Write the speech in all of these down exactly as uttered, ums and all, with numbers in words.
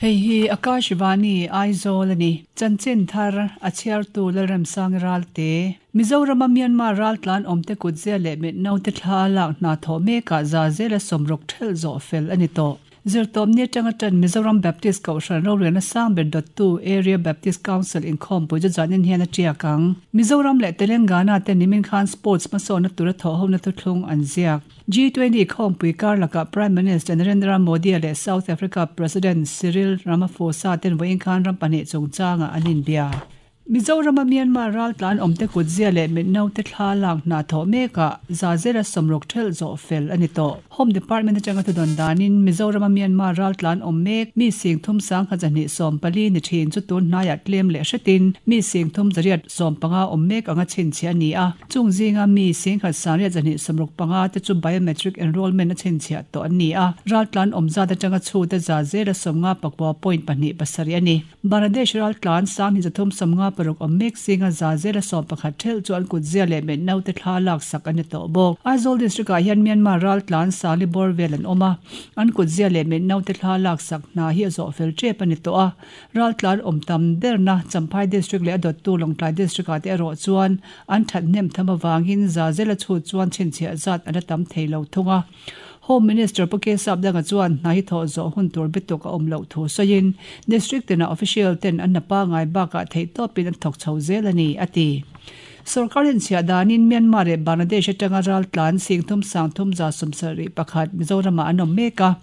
Hei hi Akashvani Aizawl ani chanchin thar a chhiartu Lalremsang Ralte Mizoram Myanmar raltlan awmte kutzia leh mit naute thla lak hna thawh mekah za zela sawmruk ṭhelh zawh fel ani tawh. Zirtawpni atanga ṭan Mizoram Baptist Kohhran rorelna sang ber dawttu Area Baptist Council inkhawmpui chu zanin hian a ṭiak ang. Mizoram leh Telangana te nimin khan sports hmasawnna tura thawh hona thuthlung an ziak. G twenty khawmpui kar lakah Prime Minister Narendra Modi leh South Africa President Cyril Ramaphosa ten vawiin khan ram pahnih chungchangah an inbia. Mizoram Myanmar raltlan awmte kutzia leh mit naute thla lak hna thawh mekah za zela sawmruk ṭhelh zawh fel ani tawh. Home Department atanga thudawn danin Mizoram Myanmar raltlan awm mek mi sing thum sang kha zahnih sawm pali ni ṭhin chu tun hnaiah tlem leh hretin mi sing thum zariat sawm panga awm mek anga chhinchhiah ani a. Chung zinga mi sing khat sangriat zahnih sawmruk panga te chu biometric enrollment a chhinchhiah tawh an ni a. Raltlan awm zat atanga chhute za zela sawmnga pakua point pahnih pasarih ani. Bangladesh raltlan sang hi zathum sawmnga paruk awm mek zinga za zela sawm pakhat ṭhelh chu an kutzia leh mit naute thla lak sak ani tawh bawk. Aizawl district ah hian Myanmar raltlan sali bawr vel an awm a. An kutzia leh mit naute thla lak sak hna hi a zawh fel ṭep ani tawh a. Raltlan awm tam berna Champhai district leh a dawttu Lawngtlai district ah te erawh chuan an ṭhat hnem tham avangin za zela chhut chuan chhinchhiah zat an la tam thei lo thung a. Home Minister Pu Sapdanga chuan hna hi thawh zawh hun tur bituk a awm loh thu sawiin district tina official ten an napa ngai bakah theih tawpin an thawk chho zel ani a ti. Sarkarin chhiah danin Myanmar leh Bangladesh atanga raltlan sing thum sang thum za sawmsarih pakhat Mizoramah an awm mek a.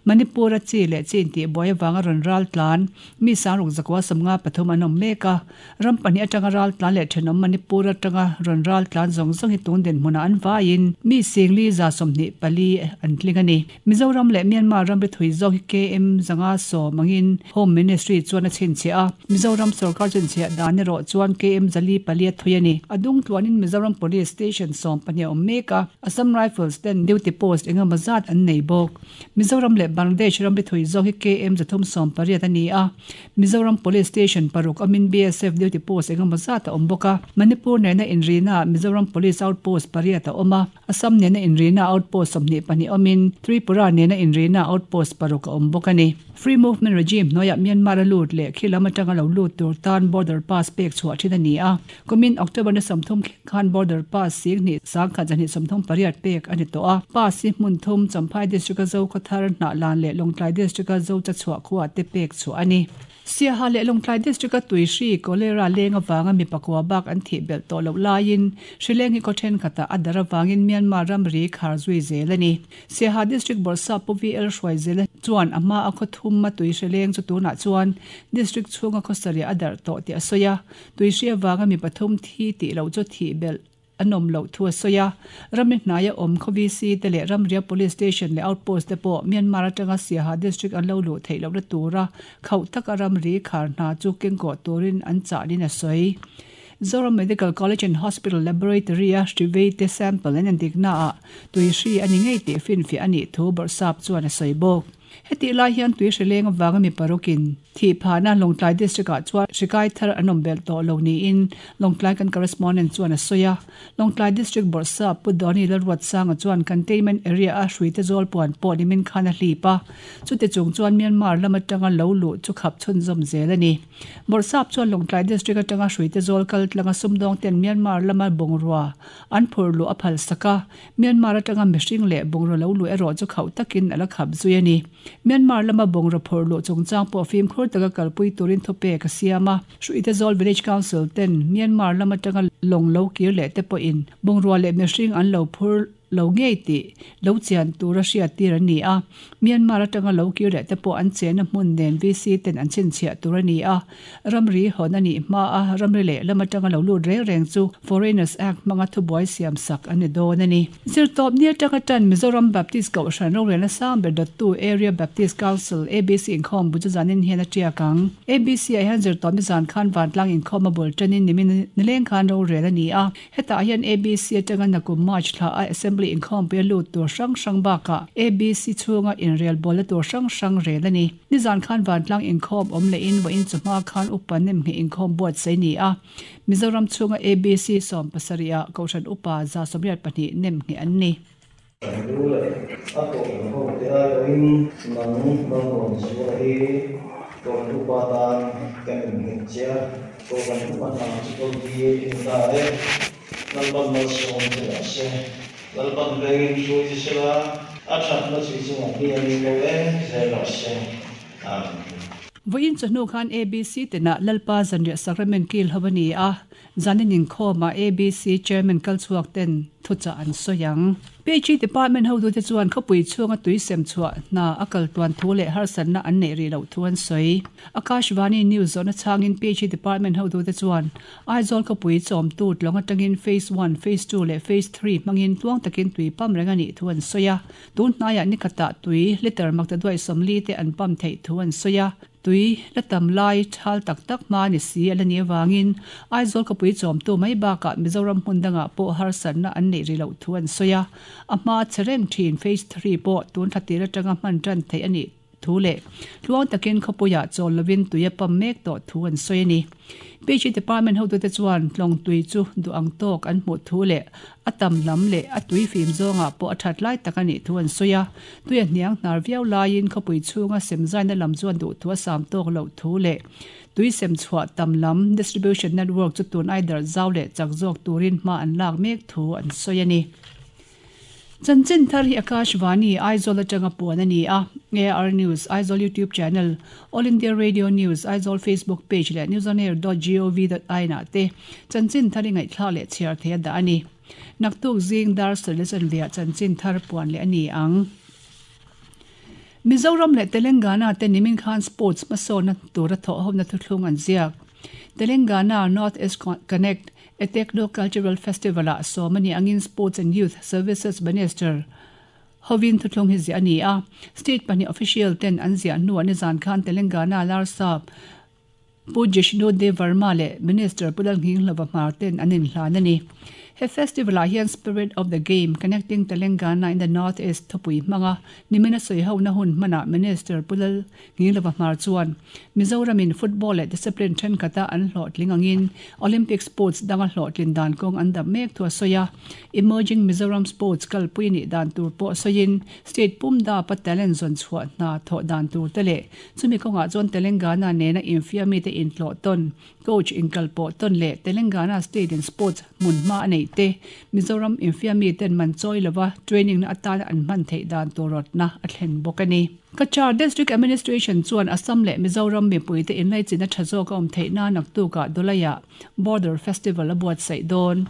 Manipur a chi leh chin tih buai avanga rawn raltlan mi sangruk zakua sawmnga pathum an awm mek a. Ram pahnih atanga raltlan leh ṭhenawm Manipur atanga rawn raltlan zawng zawng hi tun dinhmunah an vaiin mi singli za sawmhnih pali an tling ani. Mizoram leh Myanmar ramri thui zawk hi K M zanga sawm angin Home Ministry chuan a chhinchhiah a. Mizoram sarkar chhinchhiah dan erawh chuan K M zali pali a thui ani. Adung tluanin Mizoram Police Station sawm pahnih awm mek a. Assam Rifles ten duty post engemaw zat an nei bawk. Mizoram leh Bangladesh ramri thui zawk hi K M zathum sawm pariat ani a. Mizoram Police Station paruk amin B S F duty post engemaw zat a awm bawk a. Manipur nena inrina Mizoram Police Outpost pariat a awm a. Assam nena inrina outpost sawmhnih pahnih awmin Tripura nena inrina outpost paruk a awm bawk ani. Free Movement Regime hnuaiah Myanmar a lut leh khilam atanga lo lut tur tan border pass pek chhuah ṭhin ani a. Kumin October na sawmthum khan border pass sing hnih sang khat zahnih sawmthum pariat pek ani tawh a. Pass hi hmun thum Champhai district a zo khawthar hnah lan leh Lawngtlai district a zo cha chhuah khuah te pek chhuah ani. Siaha leh Lawngtlai district a tuihri cholera leng awanga mi pakua bak an thih belh tawh loh laiin hrileng hi khaw ṭhenkhatah a dar awangin Myanmar ramri khar zui zel ani. Siaha district bawrhsap Pu V L hruai zel chuan a hma a khaw thum a tui hrileng chu tunah chuan district chhunga khawsariah a darh tawh tih a sawi a. Tuihri awanga mi pathum thi tih loh chu thih belh an awm loh thu a sawi a. Ramri hnaia awm khaw V C te leh Ramria Police Station leh outpost te pawh Myanmar atanga Siaha district an lo luh theih lohna tura khauh taka ramri khar hna chu kengkawh turin an chahnin a sawi. Zoram Medical College and Hospital Laboratory a hrivei te sample an endikna ah tuihri ani ngei tih finfiah ani thu bawrhsap chuan a sawi bawk. Heti lai hian tui hrileng awanga mi parukin thi phana Lawngtlai district ah chuan hrikai thar an awm belh tawh lo niin Lawngtlai kan correspondent chuan a sawi a. Lawngtlai district bawrhsap Pu Doni Lalruatsanga chuan containment area a hruite zawl puan pawh nimin khan a hlip a. Chute chung chuan Myanmar lam atanga lo luh chu khap chhunzawm zel ani. Bawrhsap chuan Lawngtlai district atanga hruite zawl kal tlanga sumdawng ten Myanmar lama bungrua an phur luh a phal sak a. Myanmar atanga mihring leh bungrua lo luh erawh chu khauh takin a la khap zui ani. Myanmar lama bungrua phur luh chungchang pawh fimkhur taka kalpui turin thupe ka siam a. Hruite zawl Village Council ten Myanmar lama atanga lawng lo kir leh te pawhin bungrua leh mihring an lo phur lo ngei tih lo chian tura hriat tir ani a. Myanmar atanga lo kir leh te pawh an chena hmun nen V C ten an chhinchhiah tur ani a. Ramri hawn ani hma a ramri leh lam atanga lo lut reng reng chu Foreigners Act hmanga thubuai siam sak ani dawn ani. Zirtawpni atanga ṭan Mizoram Baptist Kohhran rorelna sang ber dawttu Area Baptist Council A B C inkhawm bu chu zanin hian a ṭiak ang. A B C ah hian zirtawpni zan khan vantlang inkhawm a bul ṭanin nimin nileng khan rorel ani a. Hetah hian A B C atanga nakum March thla a Assembly inkhawmpui a lut tur hrang hrang bakah A B C chhunga inrel bawlna tur hrang hrang rel ani. Nizan khan vantlang inkhawm awm lehin vawiin chu hma khan upa nem nge inkhawm buat sei ni a. Mizoram chhunga A B C sawm pasarih ah Kohhran upa za sawmriat pahnih nem nge an ni. A kohhran ho te aiawhin nang Malsawmzuala hi Kohhran upa tan kan innghet che a, Kohhran upa hna chu ko tir i ni ta e. Lalpan malsawm che rawh se. Lalpan vengin hruai che sela, a thatna chu i chungah piangin lo eng zel rawh se. Amen. Vawiin chawhnu khan A B C tinah Lalpa Zanriah Sacrament kil ho a ni a, zanin inkhawmah A B C Chairman kalchhuak ten thuchah an sawi ang. P H E Department hotute chuan khawpui chhunga tui sem chhuah hna a kal tuan thu leh harsatna an neih rih loh thu an sawi. Akashvani News zawhna chhangin P H E Department hotute chuan Aizawl khawpui chawmtu tlawng atangin Phase one, Phase two leh Phase three hmangin tluang takin tui pam reng a nih thu an sawi a. Tun hnaiah nikhatah tui liter makta duai sawmli te an pam theih thu an sawi a. Tui la tam lai thal tak tak hma ni si a la ni avangin Aizawl khawpui chawmtu mai bakah Mizoram hmun dangah pawh harsatna an neih rih loh thu an sawi a. A hma chereng thin Phase three pawh tun thla tir atanga hman tan theih a nih thu leh tluang takin khawpuiah chawl lovin tui a pam mek tawh thu an sawi a ni. P H E Department hotute chuan tlawng tui chu duh ang tawk an hmuh thu leh a tam lam leh a tui fim zawngah pawh a that lai tak a nih thu an sawi a. Tui a hniang hnar viau laiin khawpui chhunga semzaina lam chuan duh thu a sam tawk loh thu leh tui sem chhuah tam lam distribution network chu tun ai dar zau leh chak zawk turin hma an lak mek thu an sawi a ni. Chanchin thar hi Akashvani Aizawl atanga puan a ni a. A R News Aizawl YouTube channel, All India Radio News Aizawl Facebook page leh newsonair dot gov dot in ah te chanchin thar i ngaihthlak leh chhiar thei a dah a ni. Naktuk zing dar sarle chanvia chanchin thar puan leh a ni ang. Mizoram leh Telangana te nimin khan sports hmasawnna tura thawh hawmna thuthlung an ziak. Telangana North East Connect a Techno Cultural Festival ah sawmani angin Sports and Youth Services Minister Hovin thuthlung hi zia a ni a. State pahnih official ten an ziah hnuah nizan khan Telangana Larsap Pu Jishnu Dev Varma leh Minister Pu Lalnghinglova Hmar ten an inhlan a ni. He festival ah hian Spirit of the Game Connecting Telangana in the North East thupui hmanga nimina sawi hona hun hmanah Minister Pu Lalnghinglova Hmar chuan Mizoramin football leh discipline thenkata an hlawhtling angin Olympic sports danga hlawhtlin dan kawng an dap mek thu a sawi a. Emerging Mizoram sports kalpui nih dan tur pawh sawiin state pum da pa talent zawn chhuah hna thawh dan tur te leh chumi kawngah chuan Telangana nena infiammi te inhlawh tawn coach inkal pawh tawn leh Telangana state in sports hmun hma a neih te Mizoram infiammi ten man chawi lova training na atana an hman theih dan tur rawtna a thlen bawk a ni. Cachar District Administration chuan Assam leh Mizoram mipui te inlaichin a tha zawk a awm theih na naktukah Dawlaiah Border Festival a buatsaih dawn.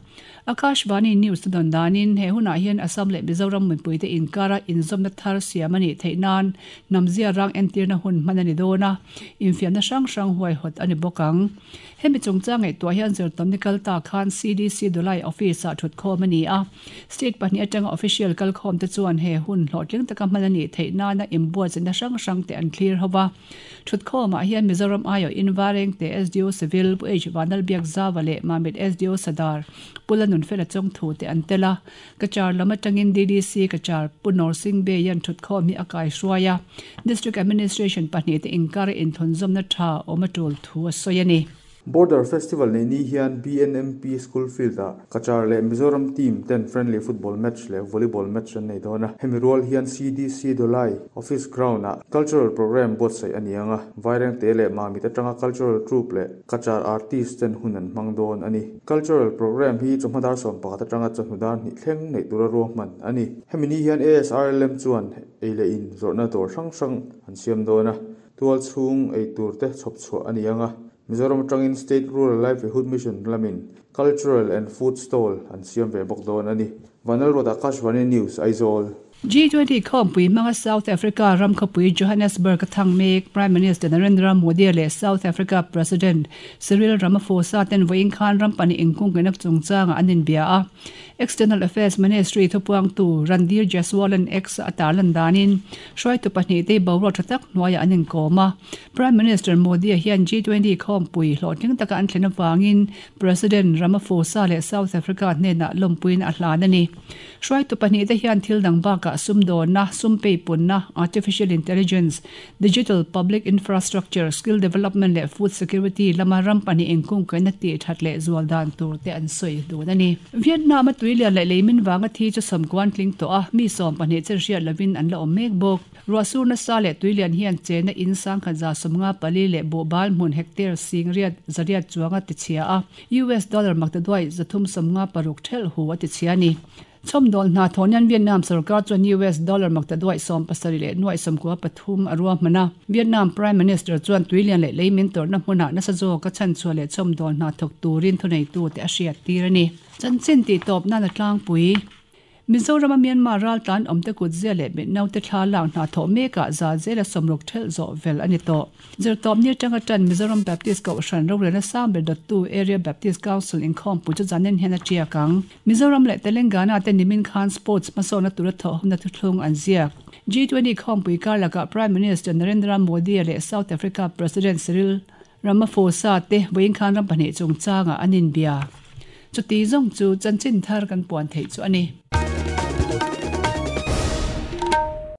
Akashvani News te dawn danin he hunah hian Assam leh Mizoram mipui te inkara inzawmna thar siam a nih theih nan namzia rang entirna hun hman a ni dawn a, infiamna hrang hrang huaihawt a ni bawk ang. Hemi chungchang ngaihtuah hian zirtawmni kal ta khan C D C Dawlai office ah thut khawm a ni a. State pahnih atanga official kal khawm te chuan he hun hlawhtling taka hman a nih theih nana inbuatsaihna hrang hrang te an thlir ho a. Thut khawmah hian Mizoram aiawh invareng te S D O Civil Pu H Vanlalbiak Zawa leh Mamit S D O Sadar Pu Lalnunfela Chawngthu te an tel a. Cachar lam atangin D D C Cachar Pu Norsing Bay hian thut khawm hi a kai hruai a. District Administration pahnih te inkara inthunzawmna tha awm a tul thu a sawi a ni. Border Festival nei ni hian B N M P School Field ah Cachar leh Mizoram team ten friendly football match leh volleyball match an nei dawn a. Hemi rual hian C D C Dawlai office ground ah cultural program buatsaih a ni ang a. Vaireng te leh Mamit atanga cultural troupe leh Cachar artist ten hun an hmang dawn a ni. Cultural program hi chawhma dar sawm pakhat atanga chawhnu dar hnih thleng neih tura ruahman a ni. Hemi ni hian A S R L M chuan ei leh in zawrhna dawr hrang hrang an siam dawn a. Tual chhung ei tur te chhawp chhuah a ni ang a. Mizoram atangin State Rural Livelihood Mission lamin Cultural and Food Stall an siam ve bawk dawn a ni. Vanlalruat Akashvani News Aizawl. G twenty khawmpui hmanga South Africa ram khawpui Johannesburg a thang mek Prime Minister Narendra Modi leh South Africa President Cyril Ramaphosa ten vawiin khan ram pahnih inkungkenak chungchanga an inbia a. External Affairs Ministry thupuangtu Randhir Jaiswal an X a tarlan danin hruaitu pahnih te boruak tha tak hnuaiah an inkawm a. Prime Minister Modi hian G twenty khawmpui hlawhtling taka an thlen avangin President Ramaphosa leh South Africa hnenah lawmpuiin a hlan a ni. Hruaitu pahnih te hian thil dang bakah sumdawnna, sumpeipunna, artificial intelligence, digital public infrastructure, skill development leh food security lama ram pahnih inkungkaina tih that leh zual dan tur te an sawi dun a ni. Vietnam a Tuilian leh leimin vanga thi chu sawmkuan tling tawh a, mi sawm pahnih chen hriat lovin an la awm mek bawk. Ruahsur nasa leh tuilian hian chena in sangkhat za sawmnga pali leh buhbal hmun hectare sing riat zariat chuanga tichhia a, U S dollar maktaduai zathum sawmnga paruk thelh hu a tichhia a ni. Chhawmdawl hna thawh nan Vietnam sorkar chuan U S dollar maktaduai sawm pasarih leh nuai sawmkua pathum a ruahman a. Vietnam Prime Minister chuan tuilian leh leimin tawrhna hmunah nasa zawka chhanchhuah leh chhawmdawl hna thawk turin thuneitute a hriat tir a ni. Chanchin tih tawp nan a tlangpui. Mizorama Myanmar raltlan awmte kutzia leh mitnaute thla lak hna thawh mekah za zela sawmruk thelh zawh vel a ni tawh. Zirtawpni atanga tan Mizoram Baptist Kohhran rorelna sang ber dawttu Area Baptist Council inkhawmpui chu zanin hian a tiak ang. Mizoram leh Telangana te nimin khan sports hmasawnna tura thawh huna thuthlung an ziak. G twenty khawmpui kar lakah Prime Minister Narendra Modi leh South Africa President Cyril Ramaphosa te vawiin khan ram pahnih chungchangah an inbia. Chuti zawng chu chanchin thar kan puan theih chu a ni.